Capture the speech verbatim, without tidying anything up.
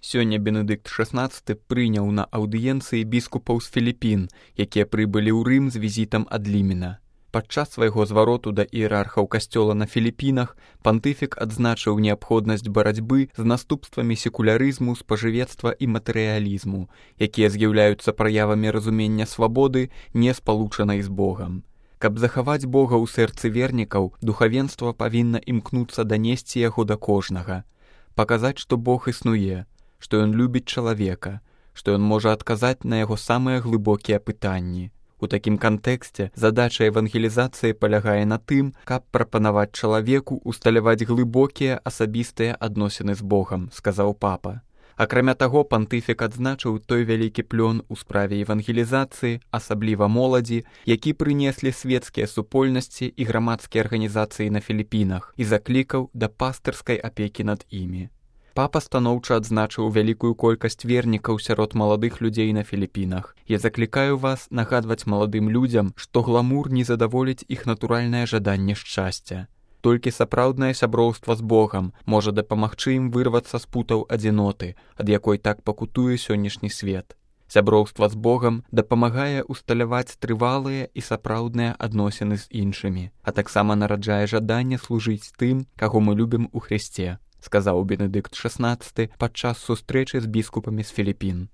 Сёння Бенедыкт шаснаццаты прыняў на аўдыенцыі біскупаў з Філіпін, якія прыбылі ў Рым з візітам ад Лімена. Падчас свайго звароту да іерархаў касцёла на Філіпінах пантыфік адзначыў неабходнасць барацьбы з наступствамі секулярызму, спажывецтва і матэрыялізму, якія з'яўляюцца праявамі разумення свабоды, не спалучанай з Богам. Каб захаваць Бога ў сэрцы вернікаў, духавенства павінна імкнуцца данесці яго да кожнага, паказаць, што Бог існуе, што ён любіць чалавека, што ён можа адказаць на яго самыя глыбокія пытанні. У такім кантэксце задача евангелізацыі палягае на тым, каб прапанаваць чалавеку усталяваць глыбокія асабістыя адносіны з Богам, сказаў папа. Акрамя таго, пантыфік адзначыў той вялікі плён у справе евангелізацыі, асабліва моладзі, які прынеслі свецкія супольнасці і грамадскія арганізацыі на Філіпінах і заклікаў да пастырскай апекі над імі. Папа станоўча адзначыў вялікую колькасць вернікаў сярод маладых людзей на Філіпінах. Я заклікаю вас нагадваць маладым людзям, што гламур не задаволіць іх натуральнае жаданне шчасця. Толькі сапраўднае сяброўства з Богам можа дапамагчы ім вырвацца з путаў адзіноты, ад якой так пакутуе сённяшні свет. Сяброўства з Богам дапамагае усталяваць трывалыя і сапраўдныя адносіны з іншымі, а таксама нараджае жаданне служыць тым, каго мы любім у Хрысце, сказаў Бенедыкт шаснаццаты падчас сустрэчы з біскупамі з Філіпін.